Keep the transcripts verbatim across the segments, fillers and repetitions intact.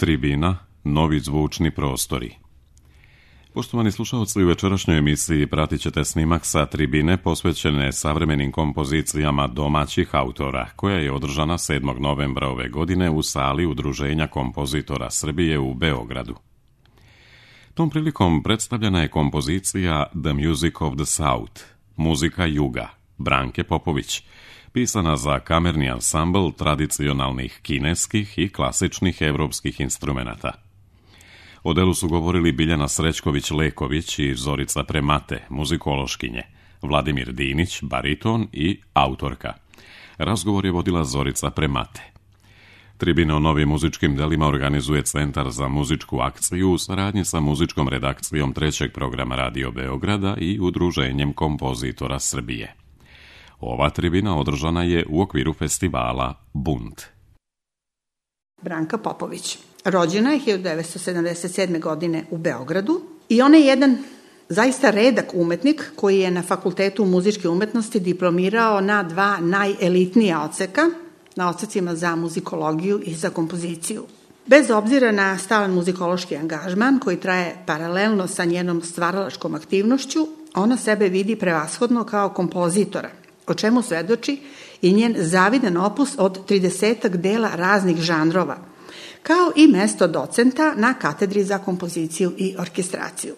Tribina, novi zvučni prostori. Poštovani slušalci, u večerašnjoj emisiji pratit ćete snimak sa tribine posvećene savremenim kompozicijama domaćih autora, koja je održana sedmog novembra ove godine u sali Udruženja kompozitora Srbije u Beogradu. Tom prilikom predstavljena je kompozicija The Music of the South, muzika juga, Branke Popović, pisana za kamerni ansambl tradicionalnih kineskih i klasičnih evropskih instrumenata. O delu su govorili Biljana Srećković-Leković i Zorica Premate, muzikološkinje, Vladimir Dinić, bariton i autorka. Razgovor je vodila Zorica Premate. Tribine o novim muzičkim delima organizuje Centar za muzičku akciju u saradnji sa muzičkom redakcijom trećeg programa Radio Beograda i Udruženjem kompozitora Srbije. Ova tribina održana je u okviru festivala Bunt. Branka Popović. Rođena je hiljadu devetsto sedamdeset sedme. godine u Beogradu i ona je jedan zaista redak umetnik koji je na Fakultetu muzičke umetnosti diplomirao na dva najelitnija odseka, na odsecima za muzikologiju i za kompoziciju. Bez obzira na stalan muzikološki angažman koji traje paralelno sa njenom stvaralačkom aktivnošću, ona sebe vidi prevashodno kao kompozitora, o čemu svedoči i njen zavidan opus od tridesetak dela raznih žanrova, kao i mesto docenta na katedri za kompoziciju i orkestraciju.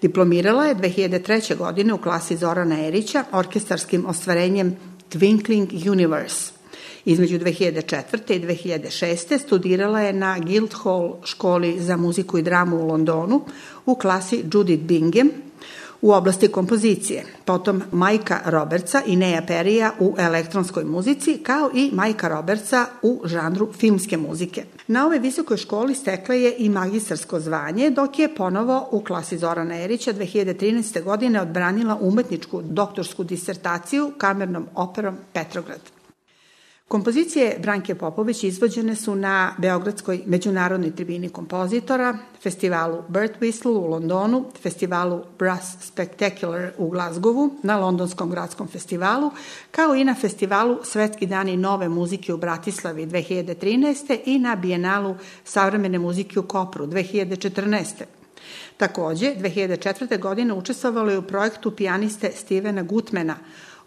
Diplomirala je dve hiljade treće. godine u klasi Zorana Erića orkestarskim ostvarenjem Twinkling Universe. Između dve hiljade četvrte. i dve hiljade šeste. studirala je na Guildhall školi za muziku i dramu u Londonu u klasi Judith Bingham u oblasti kompozicije, potom Majka Robertsa i Neja Perija u elektronskoj muzici, kao i Majka Robertsa u žanru filmske muzike. Na ovoj visokoj školi stekla je i magistarsko zvanje, dok je ponovo u klasi Zorana Erića dve hiljade trinaeste. godine odbranila umetničku doktorsku disertaciju kamernom operom Petrograd. Kompozicije Branke Popović izvođene su na Beogradskoj međunarodnoj tribini kompozitora, festivalu Bird Whistle u Londonu, festivalu Brass Spectacular u Glazgovu, na Londonskom gradskom festivalu, kao i na festivalu Svetski dani nove muzike u Bratislavi dve hiljade trinaeste. i na Bijenalu savremene muzike u Kopru dve hiljade četrnaeste. Takođe, dve hiljade četvrte. godine učestvovalo je u projektu pijaniste Stevena Gutmana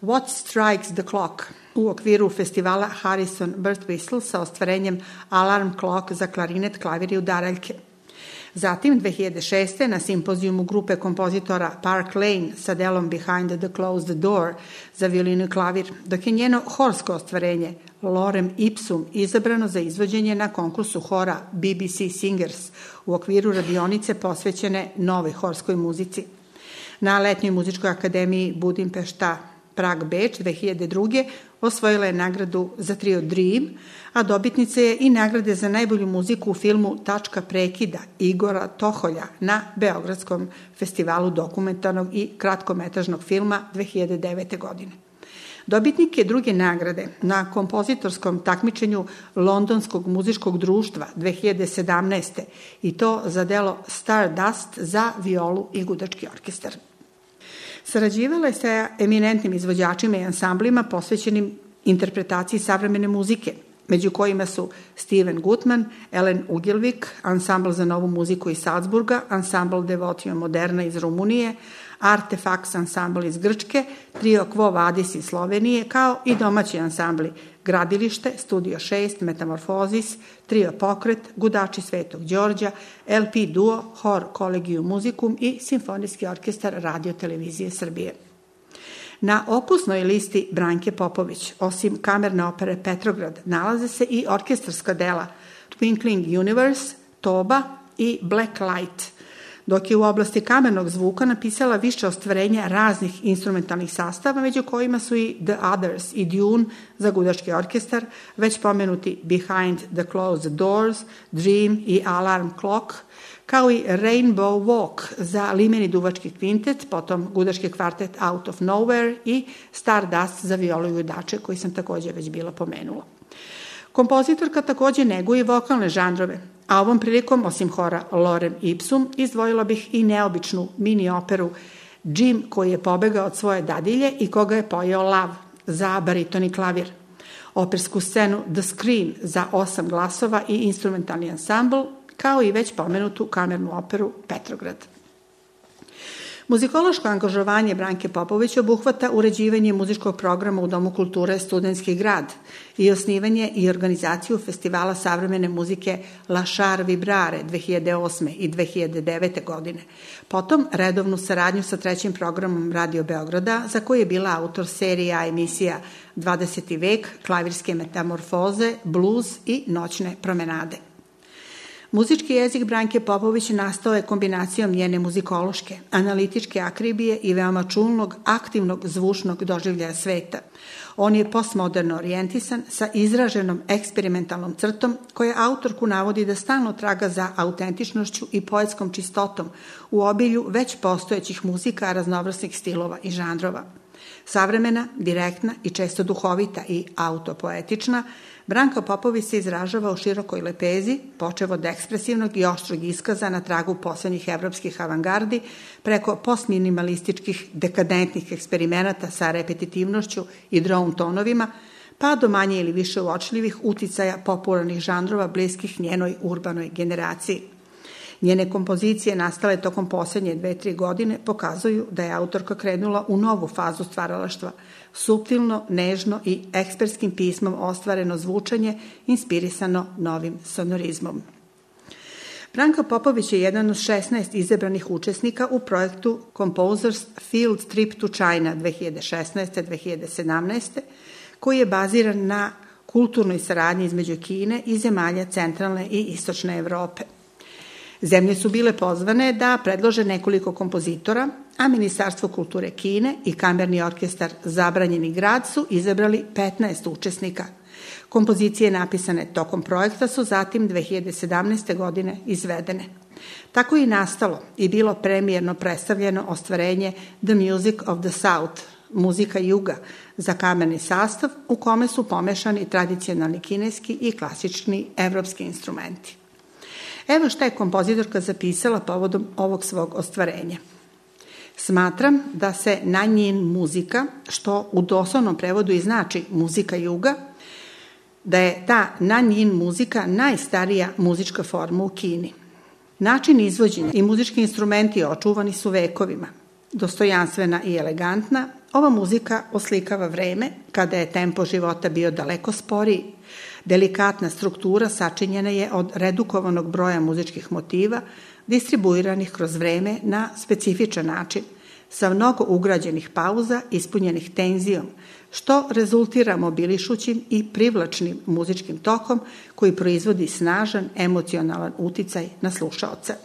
What Strikes the Clock u okviru festivala Harrison Bird Whistle sa ostvarenjem Alarm Clock za klarinet, klavir i udaraljke. Zatim, dve hiljade šeste. na simpozijumu grupe kompozitora Park Lane sa delom Behind the Closed Door za violinu i klavir, dok je njeno horsko ostvarenje Lorem Ipsum izabrano za izvođenje na konkursu hora B B C Singers u okviru radionice posvećene novoj horskoj muzici. Na Letnjoj muzičkoj akademiji Budimpešta Prag Beč dve hiljade druge. osvojila je nagradu za trio Dream, a dobitnica je i nagrade za najbolju muziku u filmu Tačka prekida Igora Toholja na Beogradskom festivalu dokumentarnog i kratkometražnog filma dve hiljade devete. godine. Dobitnik je druge nagrade na kompozitorskom takmičenju Londonskog muzičkog društva dve hiljade sedamnaeste. i to za delo Stardust za violu i gudački orkestar. Sarađivala je sa eminentnim izvođačima i ansamblima posvećenim interpretaciji savremene muzike, među kojima su Steven Gutman, Ellen Ugelvik, ansambl za novu muziku iz Salzburga, ansambl Devotio Moderna iz Rumunije, Artefax ansambl iz Grčke, trio Quo Vadis iz Slovenije, kao i domaći ansambli Gradilište, Studio šest, Metamorfozis, trio Pokret, Gudači Svetog Đorđa, L P Duo, Hor Collegium Musicum i Simfonijski orkestar Radio televizije Srbije. Na opusnoj listi Branke Popović, osim kamerne opere Petrograd, nalaze se i orkestarska dela Twinkling Universe, Toba i Black Light, dok je u oblasti kamernog zvuka napisala više ostvarenja raznih instrumentalnih sastava, među kojima su i The Others i Dune za gudački orkestar, već pomenuti Behind the Closed Doors, Dream i Alarm Clock, kao i Rainbow Walk za limeni duvački kvintet, potom gudački kvartet Out of Nowhere i Stardust za violu i udače, koji sam takođe već bila pomenula. Kompozitorka takođe neguje vokalne žanrove, a ovom prilikom, osim hora Lorem Ipsum, izdvojila bih i neobičnu mini operu Jim koji je pobegao od svoje dadilje i koga je pojeo lav za bariton i klavir. opersku scenu The Screen za osam glasova i instrumentalni ansambl, kao i već pomenutu kamernu operu Petrograd. Muzikološko angažovanje Branke Popović obuhvata uređivanje muzičkog programa u Domu kulture Studentski grad i osnivanje i organizaciju festivala savremene muzike La Char Vibrare dve hiljade osme i dve hiljade devete godine. Potom redovnu saradnju sa trećim programom Radio Beograda, za koji je bila autor serija emisija dvadeseti vek, klavirske metamorfoze, bluz i noćne promenade. Muzički jezik Branke Popović nastao je kombinacijom njene muzikološke, analitičke akribije i veoma čulnog, aktivnog zvučnog doživljaja sveta. On je postmoderno orijentisan sa izraženom eksperimentalnom crtom koja autorku navodi da stalno traga za autentičnošću i poetskom čistotom u obilju već postojećih muzika raznovrsnih stilova i žanrova. Savremena, direktna i često duhovita i autopoetična, Branka Popović se izražava u širokoj lepezi, počev od ekspresivnog i oštrog iskaza na tragu poslednjih evropskih avangardi, preko postminimalističkih dekadentnih eksperimenata sa repetitivnošću i drone tonovima, pa do manje ili više uočljivih uticaja popularnih žanrova bliskih njenoj urbanoj generaciji. Njene kompozicije nastale tokom posljednje dve, tri godine pokazuju da je autorka krenula u novu fazu stvaralaštva, suptilno, nežno i ekspertskim pismom ostvareno zvučanje inspirisano novim sonorizmom. Branka Popović je jedan od šesnaest izabranih učesnika u projektu Composers Field Trip to China dve hiljade šesnaeste do dve hiljade sedamnaeste koji je baziran na kulturnoj saradnji između Kine i zemalja centralne i istočne Evrope. Zemlje su bile pozvane da predlože nekoliko kompozitora, a Ministarstvo kulture Kine i kamerni orkestar Zabranjeni grad su izabrali petnaest učesnika. Kompozicije napisane tokom projekta su zatim dve hiljade sedamnaeste. godine izvedene. Tako je i nastalo i bilo premijerno predstavljeno ostvarenje The Music of the South, muzika juga, za kamerni sastav u kome su pomešani tradicionalni kineski i klasični evropski instrumenti. Evo šta je kompozitorka zapisala povodom ovog svog ostvarenja. Smatram da se Nanjin muzika, što u doslovnom prevodu i znači muzika juga, da je ta Nanjin muzika najstarija muzička forma u Kini. Način izvođenja i muzički instrumenti očuvani su vekovima. Dostojanstvena i elegantna, ova muzika oslikava vreme kada je tempo života bio daleko sporiji. Delikatna struktura sačinjena je od redukovanog broja muzičkih motiva, distribuiranih kroz vreme na specifičan način, sa mnogo ugrađenih pauza ispunjenih tenzijom, što rezultira mobilišućim i privlačnim muzičkim tokom koji proizvodi snažan emocionalan uticaj na slušaoca.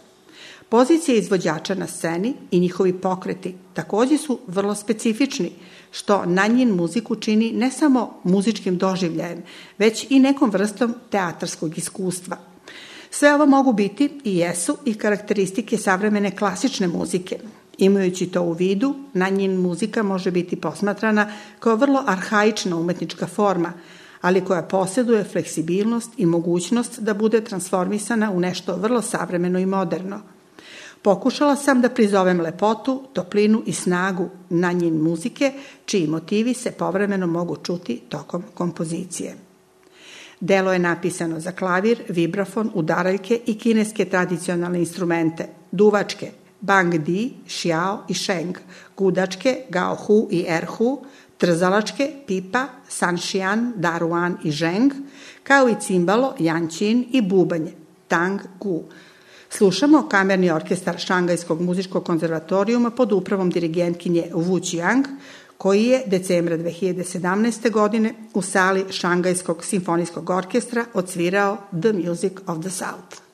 Pozicije izvođača na sceni i njihovi pokreti takođe su vrlo specifični, što Nanjin muziku čini ne samo muzičkim doživljajem, već i nekom vrstom teatarskog iskustva. Sve ovo mogu biti i jesu i karakteristike savremene klasične muzike. Imajući to u vidu, Nanjin muzika može biti posmatrana kao vrlo arhaična umetnička forma, ali koja posjeduje fleksibilnost i mogućnost da bude transformisana u nešto vrlo savremeno i moderno. Pokušala sam da prizovem lepotu, toplinu i snagu Nanjin muzike, čiji motivi se povremeno mogu čuti tokom kompozicije. Delo je napisano za klavir, vibrafon, udaraljke i kineske tradicionalne instrumente, duvačke, bang di, xiao i sheng, gudačke, gao hu i er hu, trzalačke, pipa, sanšian, daruan i zheng, kao i cimbalo, jančin i bubanje, tang gu. Slušamo kamerni orkestar Šangajskog muzičkog konzervatorijuma pod upravom dirigentkinje Wu Qiang, koji je decembra dve hiljade sedamnaeste. godine u sali Šangajskog simfonijskog orkestra odsvirao The Music of the South.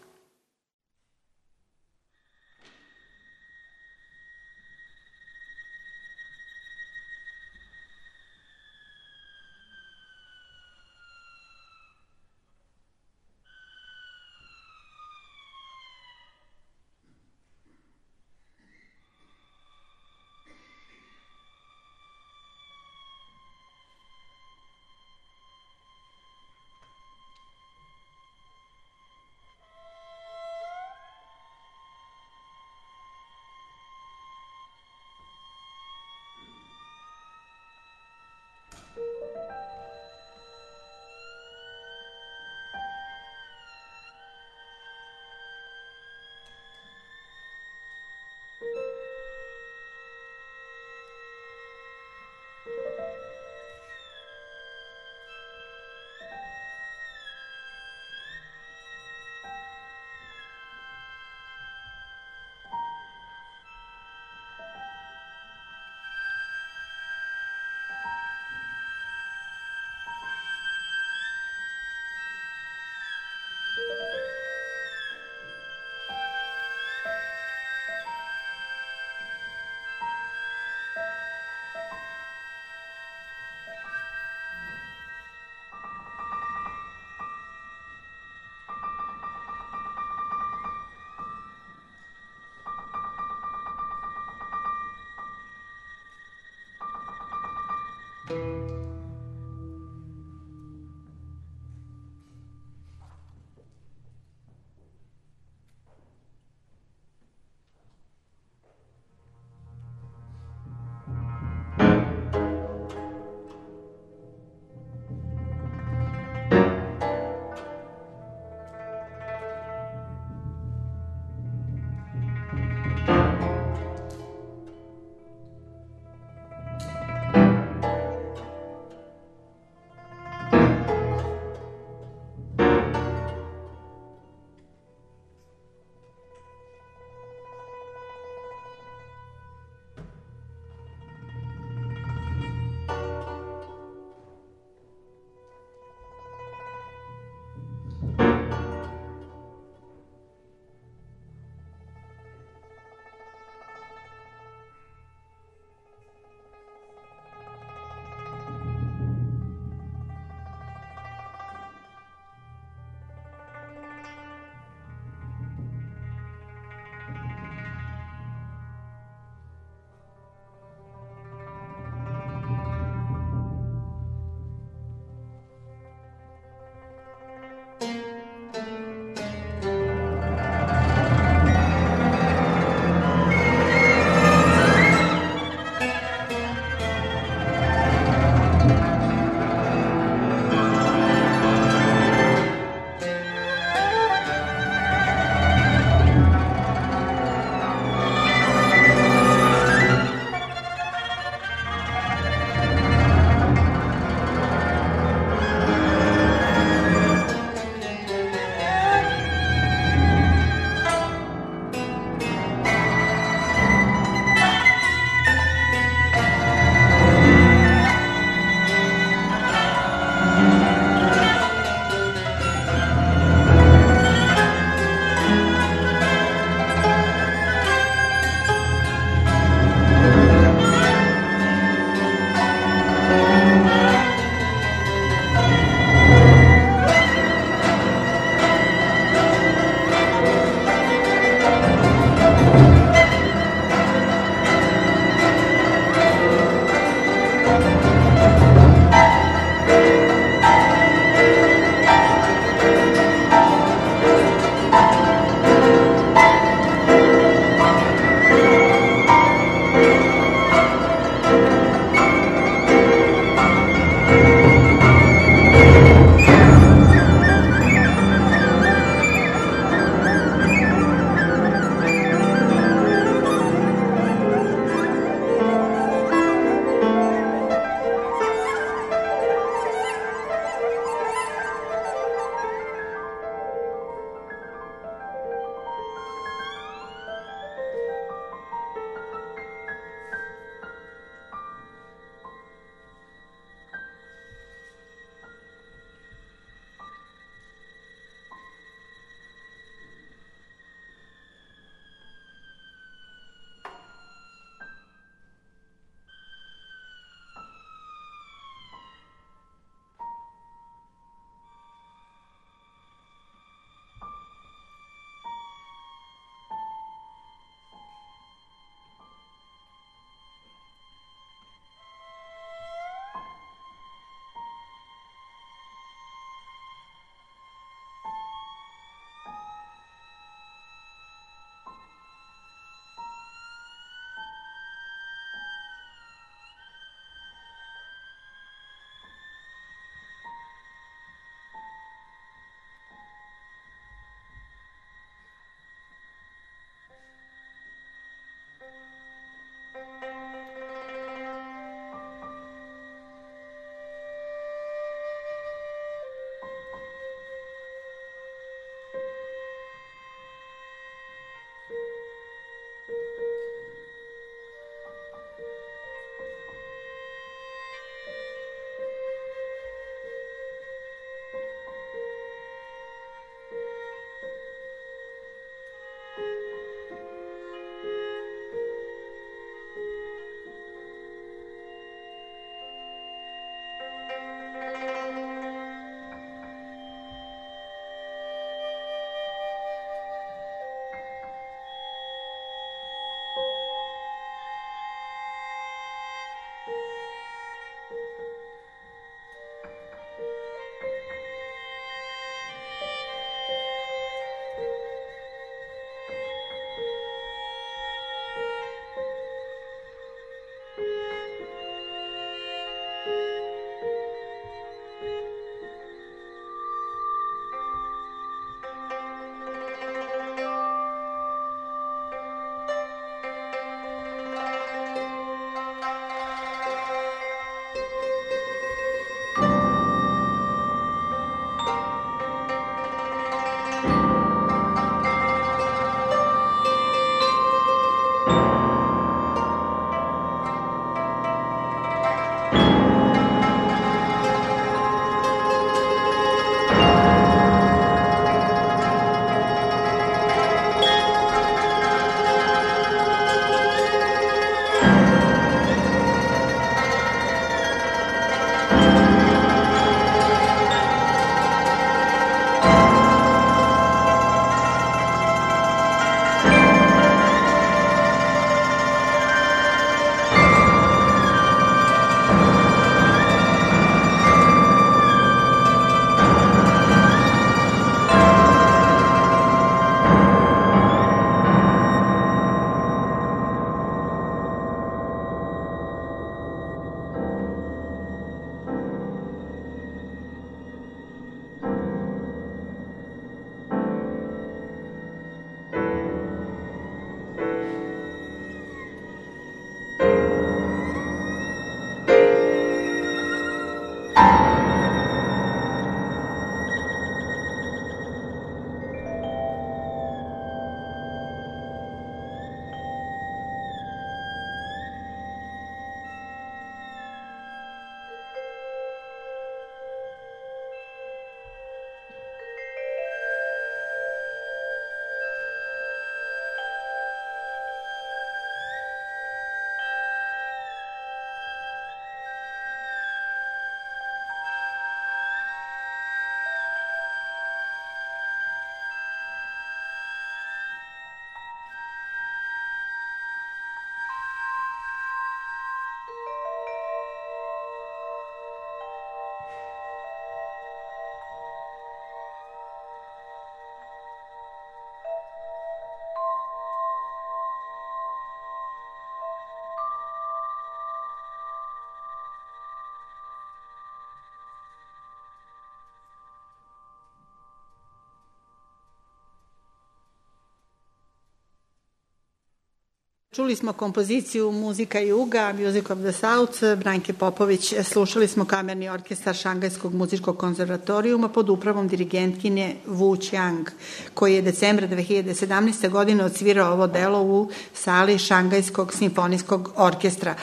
Čuli smo kompoziciju Muzika Juga, Music of the South, Branke Popović. Slušali smo kamerni orkestar Šangajskog muzičkog konzervatorijuma pod upravom dirigentkinje Wu Qiang, koji je decembra dve hiljade sedamnaeste. godine odsvirao ovo delo u sali Šangajskog simfonijskog orkestra.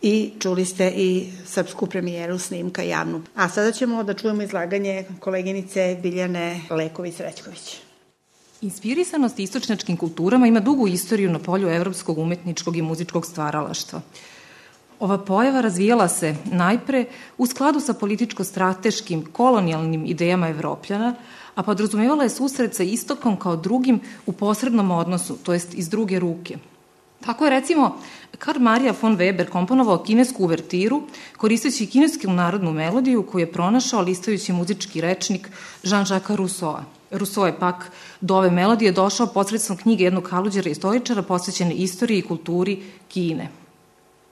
I čuli ste i srpsku premijeru snimka javnu. A sada ćemo da čujemo izlaganje koleginice Biljane Leković-Srećković. Inspirisanost istočnjačkim kulturama ima dugu istoriju na polju evropskog umetničkog i muzičkog stvaralaštva. Ova pojava razvijala se najpre u skladu sa političko-strateškim kolonijalnim idejama Evropljana, a podrazumevala je susret sa istokom kao drugim u posrednom odnosu, to jest iz druge ruke. Tako je, recimo, Karl Maria von Weber komponovao kinesku uvertiru koristeći kinesku narodnu melodiju koju je pronašao listajući muzički rečnik Jean-Jacques Rousseau. Rousseau je pak do ove melodije došao posredstvom knjige jednog haluđera istoričara posvećene istoriji i kulturi Kine.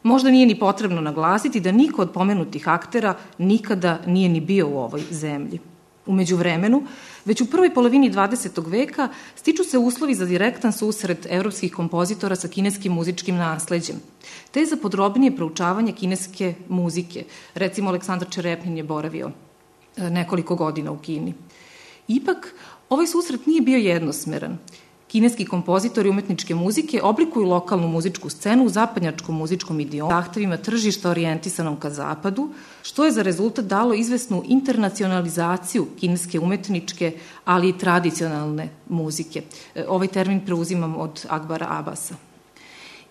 Možda nije ni potrebno naglasiti da niko od pomenutih aktera nikada nije ni bio u ovoj zemlji. U međuvremenu, već u prvoj polovini dvadesetog veka stiču se uslovi za direktan susret evropskih kompozitora sa kineskim muzičkim nasleđem, te za podrobnije proučavanje kineske muzike. Recimo, Aleksandar Čerepnin je boravio nekoliko godina u Kini. Ipak, ovaj susret nije bio jednosmeran. Kineski kompozitori umetničke muzike oblikuju lokalnu muzičku scenu u zapadnjačkom muzičkom idiomu, zahtevima tržišta orijentisanom ka zapadu, što je za rezultat dalo izvesnu internacionalizaciju kineske umetničke, ali i tradicionalne muzike. Ovaj termin preuzimam od Akbara Abasa.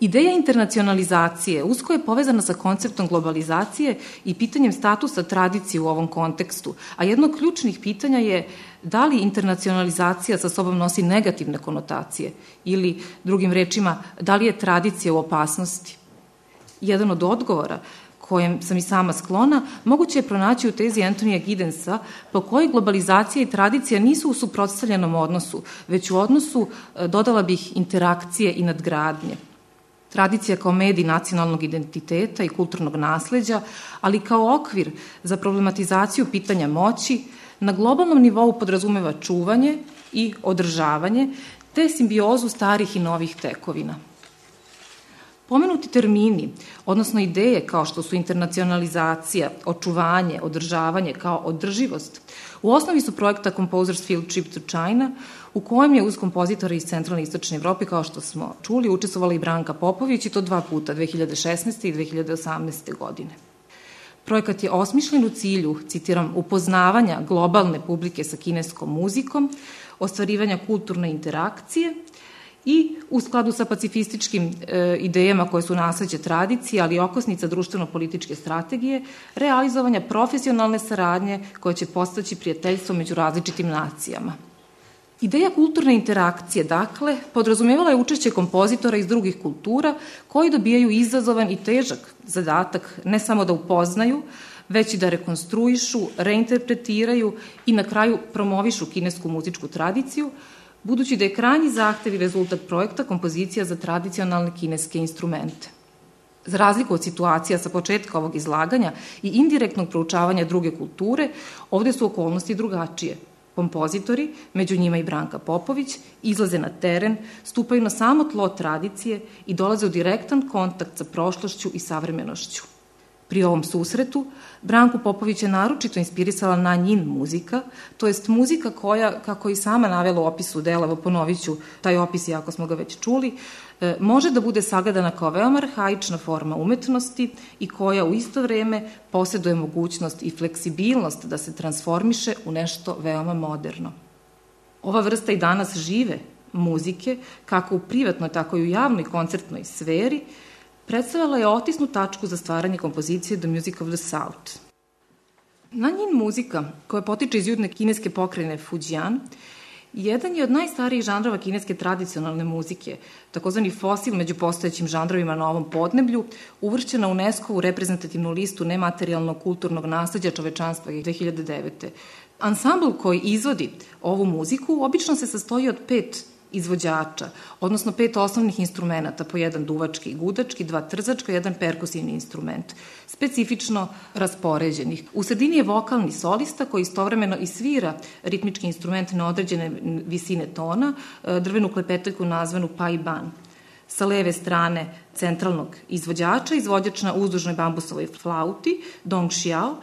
Ideja internacionalizacije usko je povezana sa konceptom globalizacije i pitanjem statusa tradicije u ovom kontekstu, a jedno od ključnih pitanja je da li internacionalizacija sa sobom nosi negativne konotacije ili, drugim rečima, da li je tradicija u opasnosti. Jedan od odgovora kojem sam i sama sklona, moguće je pronaći u tezi Antonija Giddensa, po kojoj globalizacija i tradicija nisu u suprotstavljenom odnosu, već u odnosu, dodala bih, interakcije i nadgradnje. Tradicija kao medij nacionalnog identiteta i kulturnog nasleđa, ali kao okvir za problematizaciju pitanja moći, na globalnom nivou podrazumeva čuvanje i održavanje, te simbiozu starih i novih tekovina. Pomenuti termini, odnosno ideje kao što su internacionalizacija, očuvanje, održavanje kao održivost, u osnovi su projekta Composers Field Trip to China, u kojem je uz kompozitora iz centralne i istočne Evrope, kao što smo čuli, učestvovala i Branka Popović, i to dva puta, dve hiljade šesnaeste. i dve hiljade osamnaeste. godine. Projekat je osmišljen u cilju, citiram, upoznavanja globalne publike sa kineskom muzikom, ostvarivanja kulturne interakcije i u skladu sa pacifističkim e, idejama koje su nasleđe tradicije, ali i okosnica društveno-političke strategije, realizovanja profesionalne saradnje koje će postaći prijateljstvo među različitim nacijama. Ideja kulturne interakcije, dakle, podrazumevala je učešće kompozitora iz drugih kultura koji dobijaju izazovan i težak zadatak ne samo da upoznaju, već i da rekonstruišu, reinterpretiraju i na kraju promovišu kinesku muzičku tradiciju, budući da je krajnji zahtev i rezultat projekta kompozicija za tradicionalne kineske instrumente. Za razliku od situacija sa početka ovog izlaganja i indirektnog proučavanja druge kulture, ovde su okolnosti drugačije. Kompozitori, među njima i Branka Popović, izlaze na teren, stupaju na samo tlo tradicije i dolaze u direktan kontakt sa prošlošću i savremenošću. Pri ovom susretu, Branku Popović je naročito inspirisala Nanjin muzika, to jest muzika koja, kako i sama navela u opisu dela, evo ponovit ću taj opis, iako smo ga već čuli, može da bude sagledana kao veoma arhaična forma umetnosti i koja u isto vreme posjeduje mogućnost i fleksibilnost da se transformiše u nešto veoma moderno. Ova vrsta i danas žive muzike, kako u privatnoj, tako i u javnoj koncertnoj sferi, predstavljala je otisnu tačku za stvaranje kompozicije The Music of the South. Nanjin muzika, koja potiče iz južne kineske pokrajine Fujian, jedan je od najstarijih žanrova kineske tradicionalne muzike, takozvani fosil među postojećim žanrovima na ovom podneblju, uvršćena UNESCO-vu reprezentativnu listu nematerijalnog kulturnog nasleđa čovečanstva dve hiljade devete. Ansambl koji izvodi ovu muziku obično se sastoji od pet izvođača, odnosno pet osnovnih instrumenta, po jedan duvački i gudački, dva trzačka i jedan perkusivni instrument, specifično raspoređenih. U sredini je vokalni solista koji istovremeno i svira ritmički instrument na određene visine tona, drvenu klepetaljku nazvanu pai ban. sa leve strane centralnog izvođača, izvođač na uzdužnoj bambusovoj flauti, dong xiao,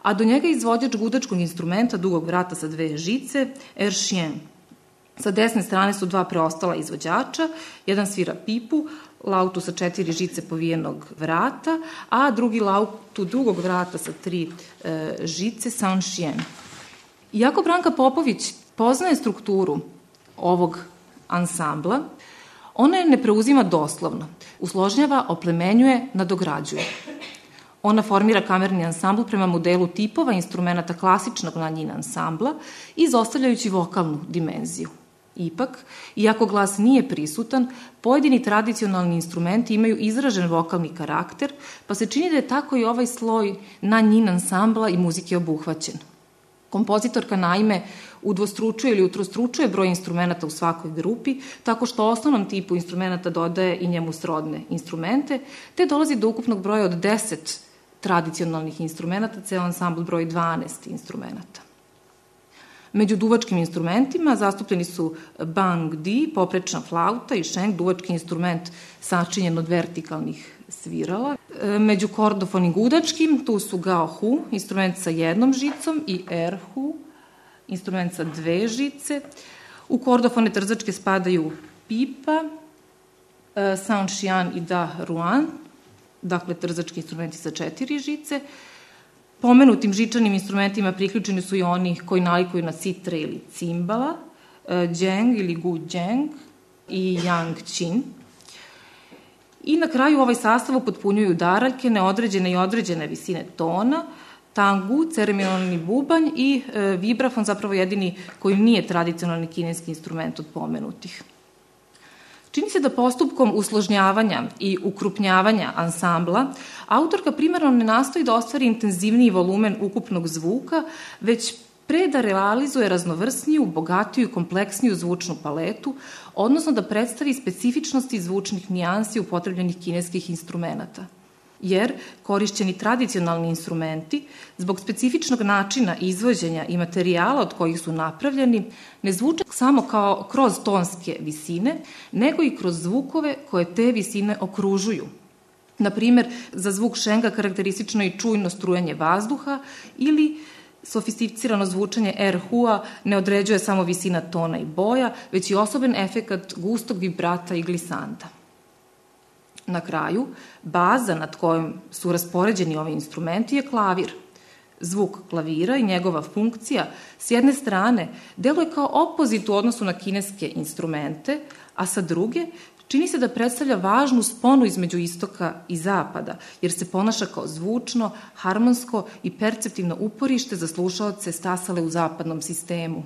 a do njega izvođač gudačkog instrumenta dugog vrata sa dve žice, er chien. Sa desne strane su dva preostala izvođača, jedan svira pipu, lautu sa četiri žice povijenog vrata, a drugi lautu drugog vrata sa tri e, žice, san chien. Iako Branka Popović poznaje strukturu ovog ansambla, ona je ne preuzima doslovno, usložnjava, oplemenjuje, nadograđuje. Ona formira kamerni ansambl prema modelu tipova instrumenta klasičnog nanjin ansambla, izostavljajući vokalnu dimenziju. Ipak, iako glas nije prisutan, pojedini tradicionalni instrumenti imaju izražen vokalni karakter, pa se čini da je tako i ovaj sloj nanjin ansambla i muzike obuhvaćen. Kompozitorka naime udvostručuje ili utrostručuje broj instrumenta u svakoj grupi, tako što osnovnom tipu instrumenta dodaje i njemu srodne instrumente, te dolazi do ukupnog broja od deset tradicionalnih instrumenta, ceo ansambl broji dvanaest instrumenta. Među duvačkim instrumentima zastupljeni su bang di, poprečna flauta i sheng, duvački instrument sačinjen od vertikalnih svirala. Među kordofonim gudačkim tu su gao hu, instrument sa jednom žicom, i er hu, instrument sa dve žice. U kordofone trzačke spadaju pipa, san xian i da ruan, dakle trzački instrumenti sa četiri žice. Pomenutim žičanim instrumentima priključeni su i oni koji nalikuju na citre ili cimbala, dženg ili gu dženg i yang qin. I na kraju ovaj sastav upotpunjuju daraljke, neodređene i određene visine tona, tangu, ceremonijalni bubanj i e, vibrafon, zapravo jedini koji nije tradicionalni kineski instrument od pomenutih. Čini se da postupkom usložnjavanja i ukrupnjavanja ansambla autorka primarno ne nastoji da ostvari intenzivniji volumen ukupnog zvuka, već pre da realizuje raznovrsniju, bogatiju i kompleksniju zvučnu paletu, odnosno da predstavi specifičnosti zvučnih nijansi upotrebljenih kineskih instrumenta. Jer korišćeni tradicionalni instrumenti, zbog specifičnog načina izvođenja i materijala od kojih su napravljeni, ne zvuče samo kao kroz tonske visine, nego i kroz zvukove koje te visine okružuju. Naprimer, za zvuk šenga karakteristično je čujno strujanje vazduha ili sofisticirano zvučanje er hua ne određuje samo visina tona i boja, već i osoben efekat gustog vibrata i glisanda. Na kraju, baza nad kojom su raspoređeni ovi instrumenti je klavir. Zvuk klavira i njegova funkcija s jedne strane deluje kao opozit u odnosu na kineske instrumente, a sa druge čini se da predstavlja važnu sponu između istoka i zapada, jer se ponaša kao zvučno, harmonsko i perceptivno uporište za slušaoce stasale u zapadnom sistemu.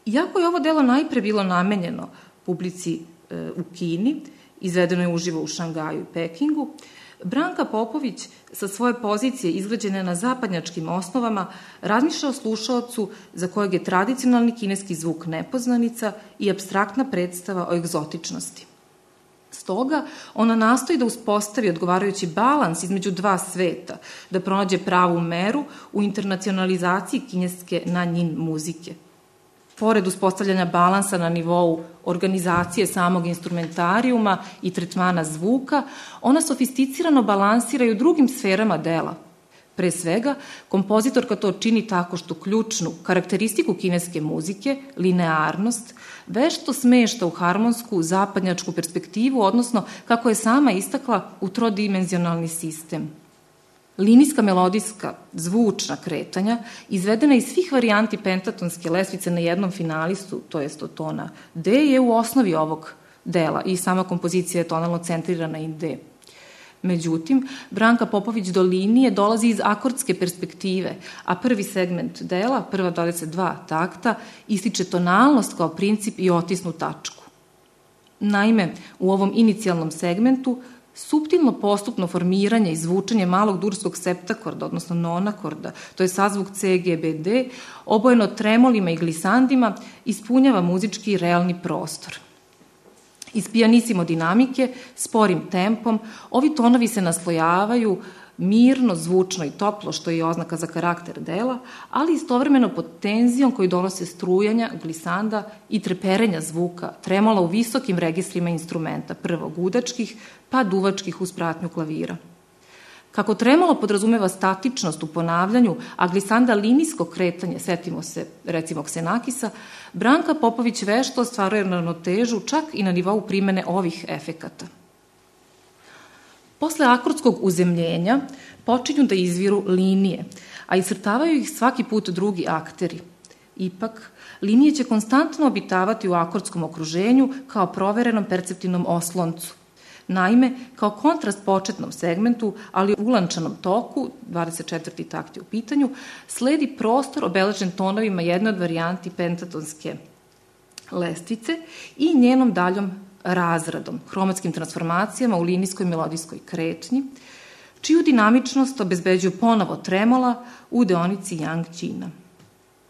Iako je ovo delo najpre bilo namenjeno publici e, u Kini, izvedeno je uživo u Šangaju i Pekingu, Branka Popović sa svoje pozicije izgrađene na zapadnjačkim osnovama razmišlja o slušaocu za kojeg je tradicionalni kineski zvuk nepoznanica i apstraktna predstava o egzotičnosti. Stoga, ona nastoji da uspostavi odgovarajući balans između dva sveta, da pronađe pravu meru u internacionalizaciji kineske nanjin muzike. Pored uspostavljanja balansa na nivou organizacije samog instrumentarijuma i tretmana zvuka, ona sofisticirano balansira i u drugim sferama dela. Pre svega, kompozitorka to čini tako što ključnu karakteristiku kineske muzike, linearnost, vešto smešta u harmonsku, zapadnjačku perspektivu, odnosno, kako je sama istakla, u trodimenzionalni sistem. Linijska melodijska, zvučna kretanja, izvedena iz svih varijanti pentatonske lestvice na jednom finalistu, to jest od tona D, je u osnovi ovog dela i sama kompozicija je tonalno centrirana i D. Međutim, Branka Popović do linije dolazi iz akordske perspektive, a prvi segment dela, prva dvadeset dva takta, ističe tonalnost kao princip i otisnu tačku. Naime, u ovom inicijalnom segmentu suptilno postupno formiranje i zvučanje malog durskog septakorda, odnosno nonakorda, to je sazvuk C, G, B, D, obojeno tremolima i glisandima, ispunjava muzički i realni prostor. Iz pijanissimo dinamike, sporim tempom, ovi tonovi se naslojavaju, mirno, zvučno i toplo, što je oznaka za karakter dela, ali istovremeno pod tenzijom koju donose strujanja, glisanda i treperenja zvuka, tremola u visokim registrima instrumenta, prvo gudačkih, pa duvačkih uz pratnju klavira. Kako tremolo podrazumeva statičnost u ponavljanju, a glisanda linijsko kretanje, setimo se recimo Ksenakisa, Branka Popović vešto ostvaruje ravnotežu čak i na nivou primene ovih efekata. Posle akordskog uzemljenja počinju da izviru linije, a iscrtavaju ih svaki put drugi akteri. Ipak, linije će konstantno obitavati u akordskom okruženju kao proverenom perceptivnom osloncu. Naime, kao kontrast početnom segmentu, ali u ulančanom toku, dvadeset četvrti takt je u pitanju, sledi prostor obeležen tonovima jedne od varijanti pentatonske lestvice i njenom daljom razradom, hromatskim transformacijama u linijskoj melodijskoj kretnji, čiju dinamičnost obezbeđuju ponovo tremola u deonici Yang-Ćina.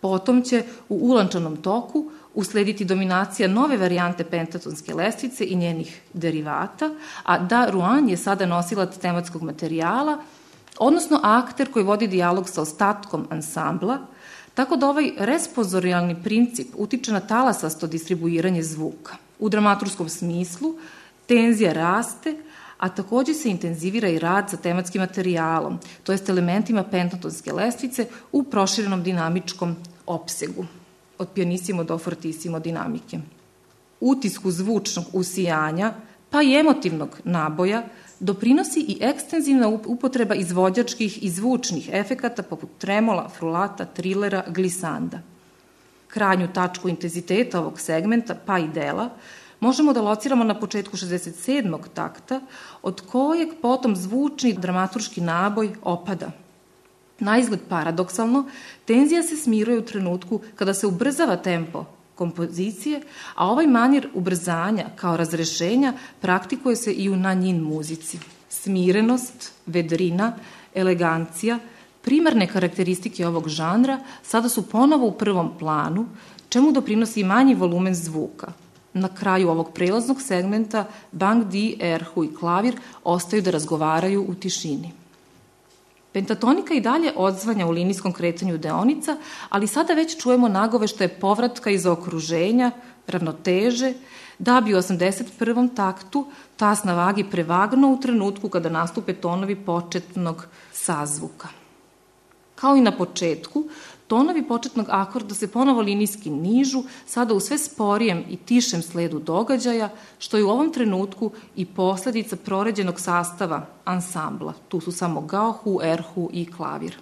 Potom će u ulančanom toku uslediti dominacija nove varijante pentatonske lestvice i njenih derivata, a Da Ruan je sada nosilac tematskog materijala, odnosno akter koji vodi dijalog sa ostatkom ansambla, tako da ovaj responsorijalni princip utiče na talasasto distribuiranje zvuka. U dramaturskom smislu tenzija raste, a takođe se intenzivira i rad sa tematskim materijalom, to jest elementima pentatonske lestvice u proširenom dinamičkom opsegu, od pianissimo do fortissimo dinamike. Utisku zvučnog usijanja, pa i emotivnog naboja, doprinosi i ekstenzivna upotreba izvođačkih i zvučnih efekata poput tremola, frulata, trilera, glisanda. Krajnju tačku intenziteta ovog segmenta, pa i dela, možemo da lociramo na početku šezdeset sedmog takta, od kojeg potom zvučni dramaturški naboj opada. Naizgled paradoksalno, tenzija se smiruje u trenutku kada se ubrzava tempo kompozicije, a ovaj manir ubrzanja kao razrešenja praktikuje se i u nanjin muzici. Smirenost, vedrina, elegancija, primarne karakteristike ovog žanra sada su ponovo u prvom planu, čemu doprinosi manji volumen zvuka. Na kraju ovog prelaznog segmenta Bang Di, erhu i klavir ostaju da razgovaraju u tišini. Pentatonika i dalje odzvanja u linijskom kretanju deonica, ali sada već čujemo nagoveštaje povratka iz okruženja, ravnoteže, da bi u osamdeset prvom taktu tas na vagi prevagnuo u trenutku kada nastupe tonovi početnog sazvuka. Kao i na početku, tonovi početnog akorda se ponovo linijski nižu, sada u sve sporijem i tišem sledu događaja, što je u ovom trenutku i posledica proređenog sastava ansambla. Tu su samo gaohu, erhu i klavir.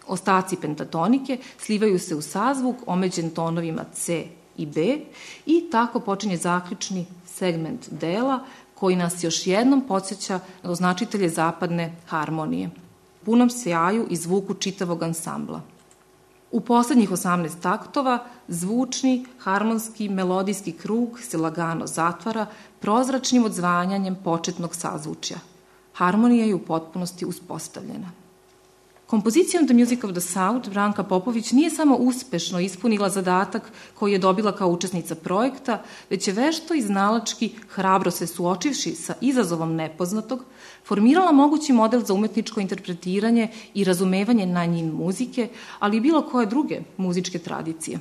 Ostaci pentatonike slivaju se u sazvuk omeđen tonovima C i B i tako počinje zaključni segment dela koji nas još jednom podsjeća na označitelje zapadne harmonije, punom sjaju i zvuku čitavog ansambla. U poslednjih osamnaest taktova zvučni, harmonski, melodijski krug se lagano zatvara prozračnim odzvanjanjem početnog sazvučja. Harmonija je u potpunosti uspostavljena. Kompozicijom The Music of the South Branka Popović nije samo uspešno ispunila zadatak koji je dobila kao učesnica projekta, već je vešto i znalački, hrabro se suočivši sa izazovom nepoznatog, formirala mogući model za umetničko interpretiranje i razumevanje nanjin muzike, ali i bilo koje druge muzičke tradicije.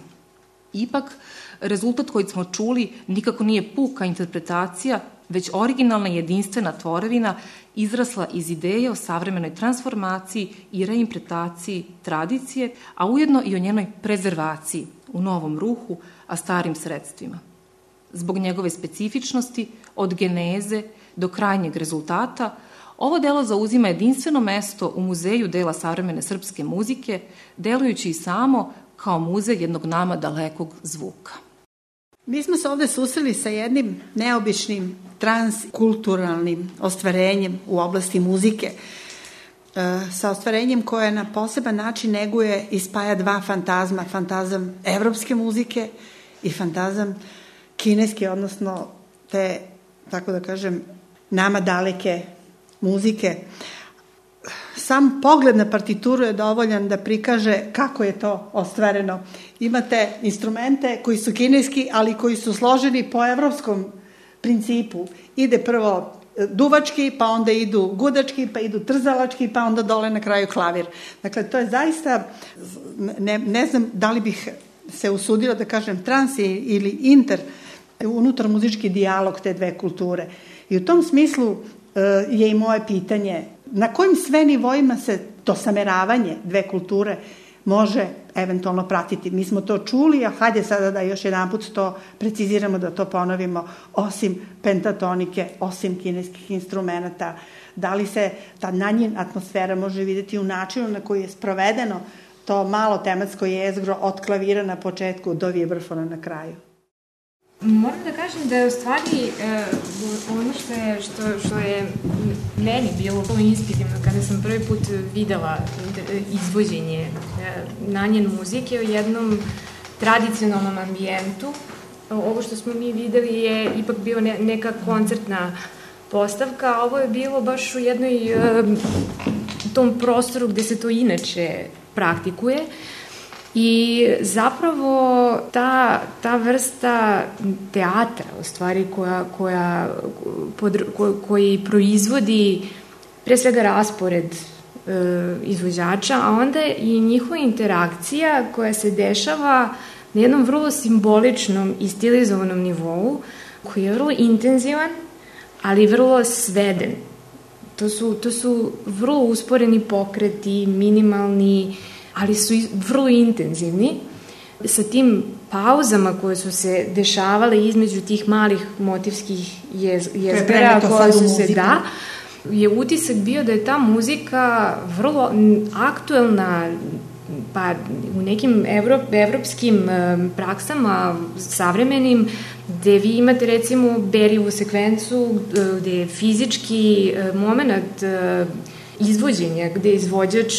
Ipak, rezultat koji smo čuli nikako nije puka interpretacija, već originalna jedinstvena tvorevina izrasla iz ideje o savremenoj transformaciji i reinterpretaciji tradicije, a ujedno i o njenoj prezervaciji u novom ruhu, a starim sredstvima. Zbog njegove specifičnosti, od geneze do krajnjeg rezultata, ovo delo zauzima jedinstveno mesto u Muzeju dela savremene srpske muzike, delujući i samo kao muzej jednog nama dalekog zvuka. Mi smo se ovde susreli sa jednim neobičnim transkulturalnim ostvarenjem u oblasti muzike, sa ostvarenjem koje na poseban način neguje i spaja dva fantazma, fantazam evropske muzike i fantazam kineske, odnosno te, tako da kažem, nama daleke muzike. Sam pogled na partituru je dovoljan da prikaže kako je to ostvareno. Imate instrumente koji su kineski, ali koji su složeni po evropskom principu. Ide prvo duvački, pa onda idu gudački, pa idu trzalački, pa onda dole na kraju klavir. Dakle, to je zaista, ne, ne znam da li bih se usudila da kažem trans ili inter, unutar muzički dijalog te dve kulture. I u tom smislu je i moje pitanje, na kojim sve nivoima se to sameravanje dve kulture može eventualno pratiti. Mi smo to čuli, a hajde sada da još jedan put to preciziramo, da to ponovimo, osim pentatonike, osim kineskih instrumenta. Da li se ta nanjin atmosfera može vidjeti u načinu na koji je sprovedeno to malo tematsko jezgro od klavira na početku do vibrafona na kraju? Moram da kažem da je u stvari e, ono što je, što, što je meni bilo vrlo inspirativno kada sam prvi put videla izvođenje e, nanjen muzike u jednom tradicionalnom ambijentu. Ovo što smo mi videli je ipak bio ne, neka koncertna postavka, a ovo je bilo baš u jednoj e, tom prostoru gde se to inače praktikuje. I zapravo ta, ta vrsta teatra, u stvari, koja, koja, pod, ko, koji proizvodi pre svega raspored e, izvođača, a onda i njihova interakcija koja se dešava na jednom vrlo simboličnom i stilizovanom nivou, koji je vrlo intenzivan, ali vrlo sveden. To su, to su vrlo usporeni pokreti, minimalni, ali su vrlo intenzivni, sa tim pauzama koje su se dešavale između tih malih motivskih jez, jezgara koje su se, da, je utisak bio da je ta muzika vrlo aktuelna, pa u nekim evrop, evropskim praksama savremenim, gde vi imate recimo Beriovu sekvencu, gde je fizički moment izvođenja, gde izvođač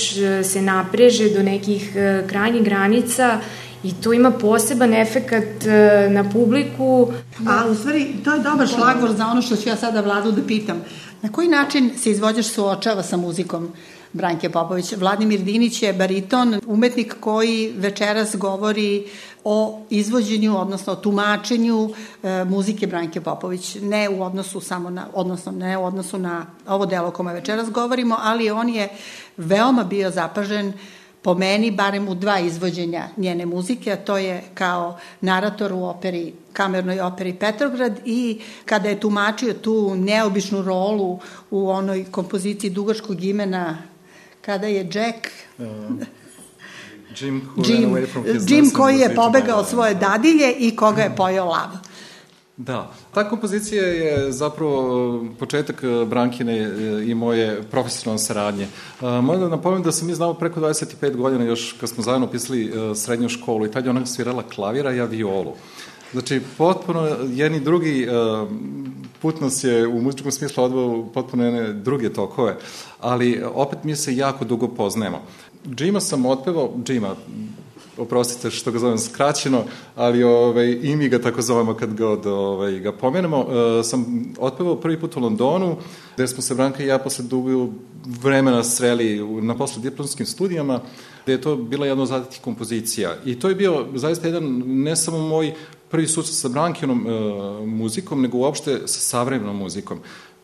se napreže do nekih krajnjih granica i to ima poseban efekat na publiku. A u stvari, to je dobar šlagvor za ono što ću ja sada Vladu da pitam. Na koji način se izvođač suočava sa muzikom Branke Popović? Vladimir Dinić je bariton, umetnik koji večeras govori o izvođenju, odnosno o tumačenju e, muzike Branke Popović. Ne u odnosu samo na, odnosno ne u odnosu na ovo delo o kome večeras govorimo, ali on je veoma bio zapažen, po meni, barem u dva izvođenja njene muzike, a to je kao narator u operi, kamernoj operi Petrograd, i kada je tumačio tu neobičnu rolu u onoj kompoziciji dugačkog imena, kada je Jack... Uh. Jim, Jim, Jim koji je pobegao od svoje dadilje i koga je pojeo lav. Da, ta kompozicija je zapravo početak Brankine i moje profesionalne saradnje. Moram da napomenem da sam mi znao preko dvadeset pet godina, još kad smo zajedno pisali srednju školu, i tad je ona svirala klavira, ja violu. Znači, potpuno jedni drugi put nas je u muzičkom smislu odveo potpuno jedne druge tokove, ali opet mi se jako dugo poznajemo. Jima sam otpevao, Jima, oprostite što ga zovem skraćeno, ali ovaj, i mi ga tako zovemo kad god ovaj, ga pomenemo, uh, sam otpevao prvi put u Londonu, gde smo se Branka i ja posle dugo vremena sreli na poslediplomskim studijama, gde je to bila jedna od zadatih kompozicija. I to je bio zaista jedan, ne samo moj prvi susret sa Brankinom uh, muzikom, nego uopšte sa savremenom muzikom.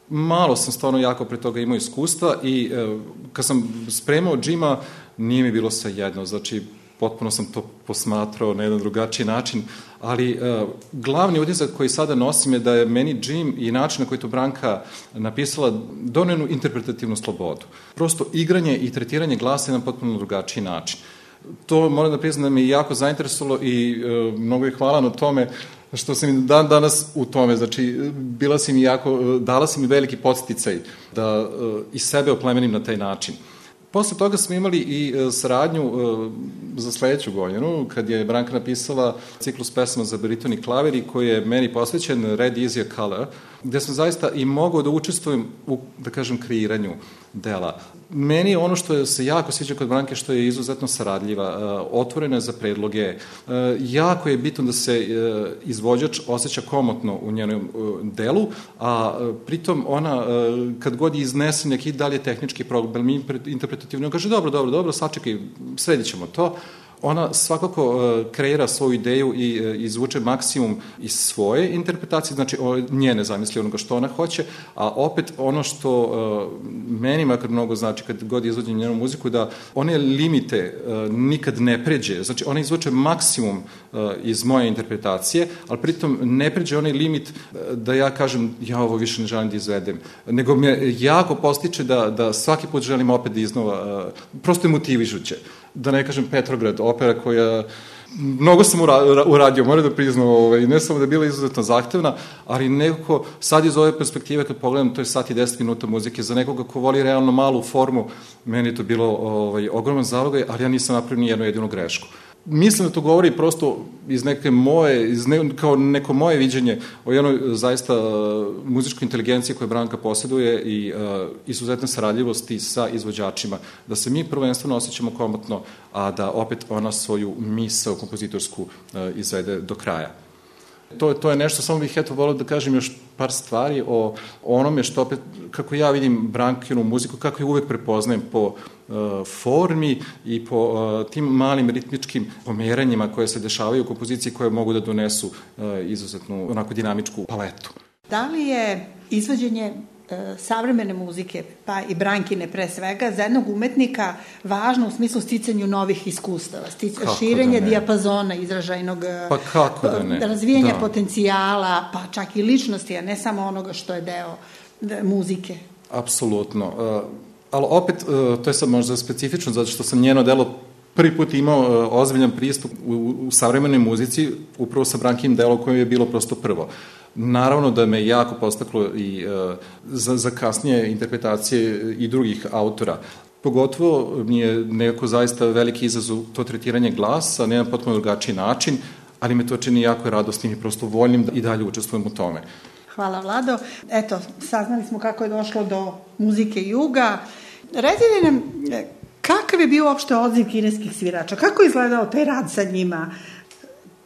Malo sam stvarno jako pre toga imao iskustva i uh, kad sam spremao Jima, nije mi bilo sve jedno, znači potpuno sam to posmatrao na jedan drugačiji način, ali uh, glavni utisak koji sada nosim je da je meni Jim i način na koji to Branka napisala donenu interpretativnu slobodu. Prosto igranje i tretiranje glasa na potpuno drugačiji način. To moram da priznam da me jako zainteresovalo i uh, mnogo je hvala na tome što sam mi dan danas u tome, znači bila si mi jako, dala si mi veliki podsticaj da uh, i sebe oplemenim na taj način. Posle toga smo imali i saradnju uh, za sledeću godinu, kad je Branka napisala ciklus pesama za bariton i klavir, koji je meni posvećen Red Is a Color, gde sam zaista i mogao da učestvujem u, da kažem, kreiranju dela. Meni je ono što se jako sviđa kod Branke, što je izuzetno saradljiva, uh, otvorena je za predloge, uh, jako je bitno da se uh, izvođač osjeća komotno u njenom uh, delu, a uh, pritom ona, uh, kad god iznese neki dalje tehnički problem, interpretativno, on kaže dobro, dobro, dobro, sačekaj, sredit ćemo to. ona svakako kreira svoju ideju i izvuče maksimum iz svoje interpretacije, znači njene zamisli onoga što ona hoće, a opet ono što meni makar mnogo znači kad god izvodim njenu muziku, da one limite nikad ne pređe, znači ona izvuče maksimum iz moje interpretacije, ali pritom ne pređe onaj limit da ja kažem ja ovo više ne želim da izvedem, nego me jako postiče da, da svaki put želim opet da iznova, prosto je motivišuće. Da ne kažem Petrograd, opera koja, mnogo sam uradio, moram da priznam, ovaj, ne samo da je bila izuzetno zahtevna, ali nekako sad iz ove perspektive kad pogledam, to je sat i deset minuta muzike, za nekoga ko voli realno malu formu, meni je to bilo ovaj, ogroman zalogaj, ali ja nisam napravio ni jednu jedinu grešku. Mislim da to govori prosto iz neke moje, iz ne, kao neko moje viđenje o jednoj zaista uh, muzičkoj inteligenciji koju Branka posjeduje i uh, izuzetne saradljivosti sa izvođačima, da se mi prvenstveno osjećamo komotno, a da opet ona svoju misao kompozitorsku uh, izvede do kraja. To, to je nešto, samo bih eto volio da kažem još par stvari o onome što opet, kako ja vidim Brankinu muziku, kako je uvek prepoznajem po uh, formi i po uh, tim malim ritmičkim pomeranjima koje se dešavaju u kompoziciji koje mogu da donesu uh, izuzetnu onako dinamičku paletu. Da li je izvođenje savremene muzike, pa i Brankine pre svega, za jednog umetnika važno u smislu sticanju novih iskustava, stic, širenje da dijapazona izražajnog, pa kako da ne? razvijanja da. potencijala, pa čak i ličnosti, a ne samo onoga što je deo muzike. Apsolutno. Uh, ali opet, uh, to je sad možda specifično, zato što sam njeno delo prvi put imao uh, ozbiljan pristup u, u savremenoj muzici, upravo sa Brankinim delom koje je bilo prosto prvo. Naravno da me jako postaklo i uh, za, za kasnije interpretacije i drugih autora. Pogotovo mi je nekako zaista veliki izazov to tretiranje glasa na jedan potpuno drugačiji način, ali me to čini jako radosnim i prosto voljnim da i dalje učestvujem u tome. Hvala, Vlado. Eto, saznali smo kako je došlo do muzike juga. Recite nam, kakav je bio uopšte odziv kineskih svirača? Kako je izgledao taj rad sa njima?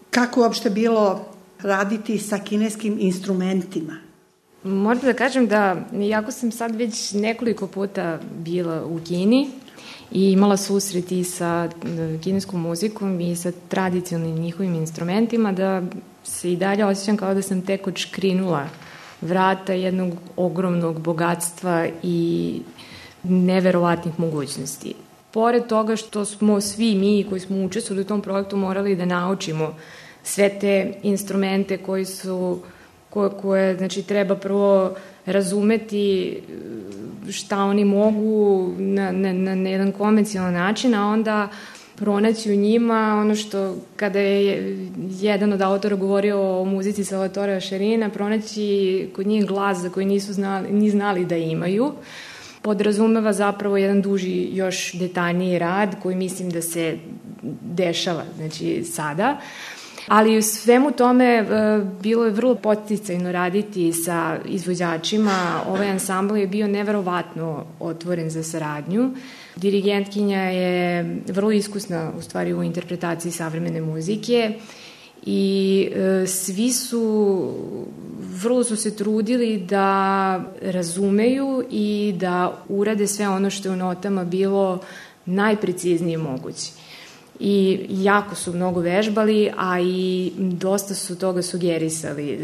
Kako je uopšte bilo raditi sa kineskim instrumentima? Moram da kažem da, iako sam sad već nekoliko puta bila u Kini i imala susret i sa kineskom muzikom i sa tradicionalnim njihovim instrumentima, da se i dalje osjećam kao da sam tek odškrinula vrata jednog ogromnog bogatstva i neverovatnih mogućnosti. Pored toga što smo svi mi koji smo učestvovali u tom projektu morali da naučimo sve te instrumente koji su, koje, koje znači, treba prvo razumeti šta oni mogu na, na, na jedan konvencionalan način, a onda pronaći u njima ono što, kada je jedan od autora govorio o muzici Salvatora Šerina, pronaći kod njih glas za koji nisu znali, ni znali da imaju, podrazumeva zapravo jedan duži, još detaljniji rad koji mislim da se dešava, znači sada. Ali u svemu tome e, bilo je vrlo poticajno raditi sa izvođačima. Ovaj ansambl je bio neverovatno otvoren za saradnju. Dirigentkinja je vrlo iskusna u stvari u interpretaciji savremene muzike i e, svi su vrlo su se trudili da razumeju i da urade sve ono što je u notama bilo najpreciznije moguće. I jako su mnogo vežbali, a i dosta su toga sugerisali.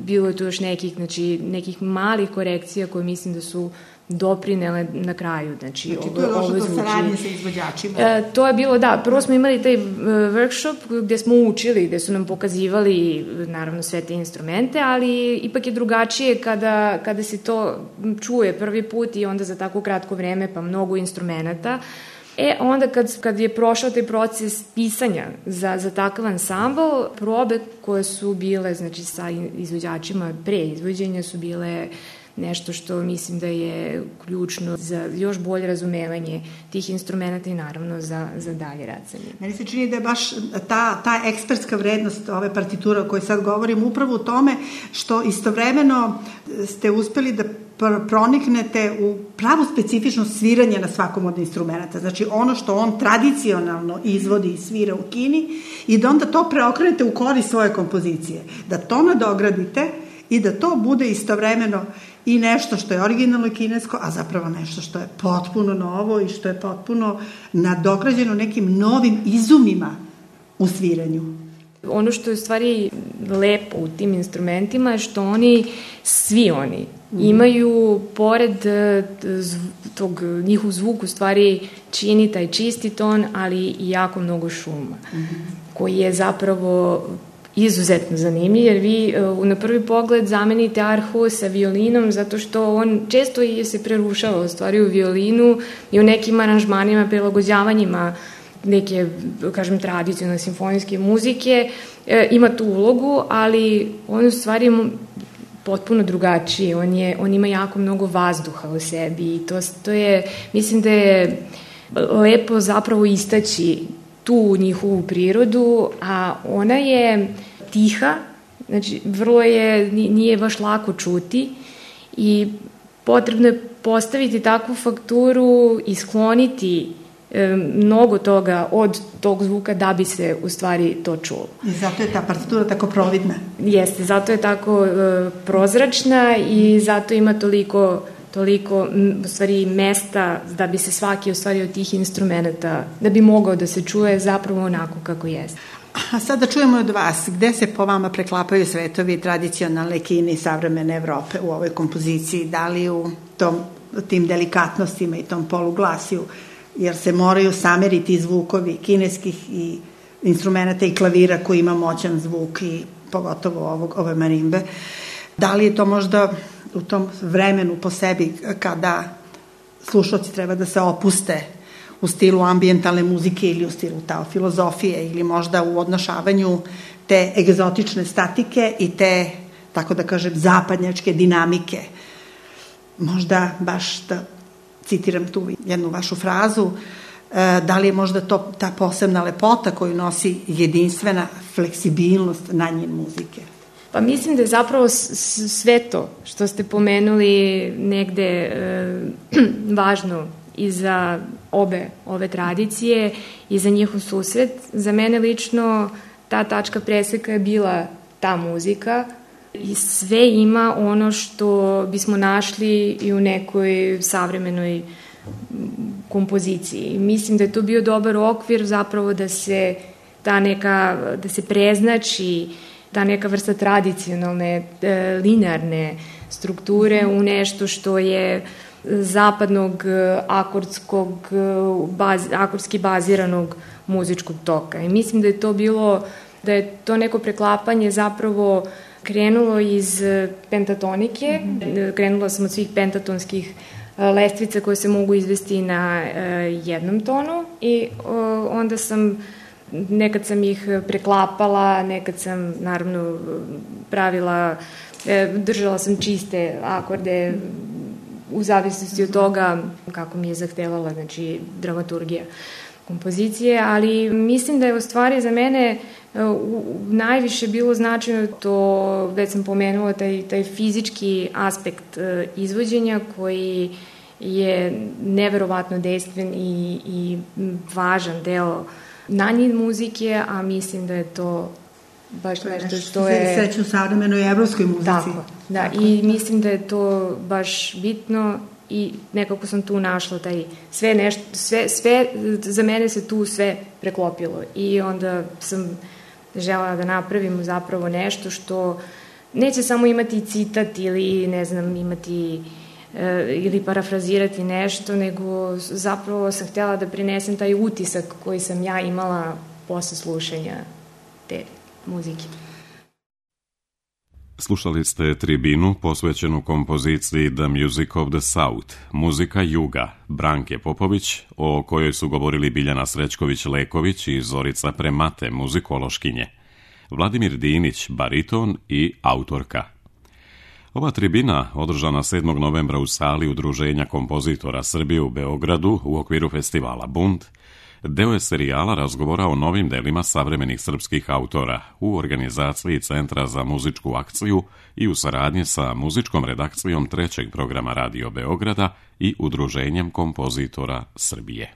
Bilo je tu još nekih, znači, nekih malih korekcija koje mislim da su doprinele na kraju. Znači, znači to je došlo do saradnje sa izvođačima? E, to je bilo, da. Prvo smo imali taj workshop gde smo učili, gde su nam pokazivali naravno sve te instrumente, ali ipak je drugačije kada, kada se to čuje prvi put i onda za tako kratko vreme pa mnogo instrumenta. E, onda kad, kad je prošao taj proces pisanja za, za takav ansambl, probe koje su bile, znači, sa izvođačima pre izvođenja su bile nešto što mislim da je ključno za još bolje razumevanje tih instrumenta i naravno za, za dalje rad sa njim. Meni se čini da je baš ta, ta ekspertska vrednost ove partiture o kojoj sad govorim upravo u tome što istovremeno ste uspeli da proniknete u pravu specifičnost sviranja na svakom od instrumenta. Znači ono što on tradicionalno izvodi i svira u Kini i da onda to preokrenete u korist svoje kompozicije. Da to nadogradite i da to bude istovremeno i nešto što je originalno kinesko, a zapravo nešto što je potpuno novo i što je potpuno nadograđeno nekim novim izumima u sviranju. Ono što je u stvari lepo u tim instrumentima je što oni, svi oni, imaju, pored tog njihov zvuk u stvari čini taj čisti ton, ali i jako mnogo šuma, koji je zapravo izuzetno zanimljiv, jer vi na prvi pogled zamenite arhu sa violinom, zato što on često se prerušava u stvari u violinu i u nekim aranžmanima, prilagođavanjima neke, kažem, tradicionalne simfonijske muzike, e, ima tu ulogu, ali on u stvari potpuno drugačiji, on, je, on ima jako mnogo vazduha u sebi i to, to je, mislim da je lepo zapravo istaći tu njihovu prirodu, a ona je tiha, znači vrlo je, nije baš lako čuti i potrebno je postaviti takvu fakturu i skloniti e, mnogo toga od tog zvuka da bi se u stvari to čulo. I zato je ta partitura tako providna. Jeste, zato je tako e, prozračna i zato ima toliko toliko u stvari mesta da bi se svaki u stvari od tih instrumenta, da bi mogao da se čuje zapravo onako kako jeste. A sada čujemo od vas, gde se po vama preklapaju svetovi tradicionalne Kine i savremene Evrope u ovoj kompoziciji, da li u tom, tim delikatnostima i tom poluglasju, jer se moraju sameriti zvukovi kineskih i instrumenta i klavira koji ima moćan zvuk i pogotovo ovog, ove marimbe. Da li je to možda u tom vremenu po sebi kada slušalci treba da se opuste u stilu ambijentalne muzike ili u stilu tao filozofije ili možda u odnošavanju te egzotične statike i te, tako da kažem, zapadnjačke dinamike. Možda baš da citiram tu jednu vašu frazu, da li je možda to ta posebna lepota koju nosi jedinstvena fleksibilnost na njen muzike? Pa mislim da je zapravo sve to što ste pomenuli negde e, važno i za obe ove tradicije i za njihov susret. Za mene lično ta tačka preseka je bila ta muzika i sve ima ono što bismo našli i u nekoj savremenoj kompoziciji. Mislim da je to bio dobar okvir zapravo da se ta neka, da se preznači ta neka vrsta tradicionalne, e, linearne strukture u nešto što je zapadnog akordskog, baz, akordski baziranog muzičkog toka. I mislim da je to bilo, da je to neko preklapanje zapravo krenulo iz pentatonike, mm-hmm. Krenula sam od svih pentatonskih lestvica koje se mogu izvesti na e, jednom tonu i o, onda sam nekad sam ih preklapala, nekad sam naravno pravila, e, držala sam čiste akorde u zavisnosti od toga kako mi je zahtevala, znači, dramaturgija kompozicije, ali mislim da je u stvari za mene u, najviše bilo značajno to, već sam pomenula, taj, taj fizički aspekt e, izvođenja koji je neverovatno dejstven i, i važan deo nanjin muzike, a mislim da je to baš nešto što je... Sreću u savremenoj evropskoj muzici. Tako, da, tako. I mislim da je to baš bitno i nekako sam tu našla taj sve nešto, sve, sve, za mene se tu sve preklopilo i onda sam želela da napravim zapravo nešto što neće samo imati citat ili, ne znam, imati ili parafrazirati nešto, nego zapravo sam htjela da prinesem taj utisak koji sam ja imala posle slušanja te muzike. Slušali ste tribinu posvećenu kompoziciji The Music of the South, muzika juga, Branke Popović, o kojoj su govorili Biljana Srećković-Leković i Zorica Premate, muzikološkinje, Vladimir Dinić, bariton i autorka. Ova tribina, održana sedmog novembra u sali Udruženja kompozitora Srbije u Beogradu u okviru festivala Bund, deo je serijala razgovora o novim delima savremenih srpskih autora u organizaciji Centra za muzičku akciju i u saradnji sa muzičkom redakcijom trećeg programa Radio Beograda i Udruženjem kompozitora Srbije.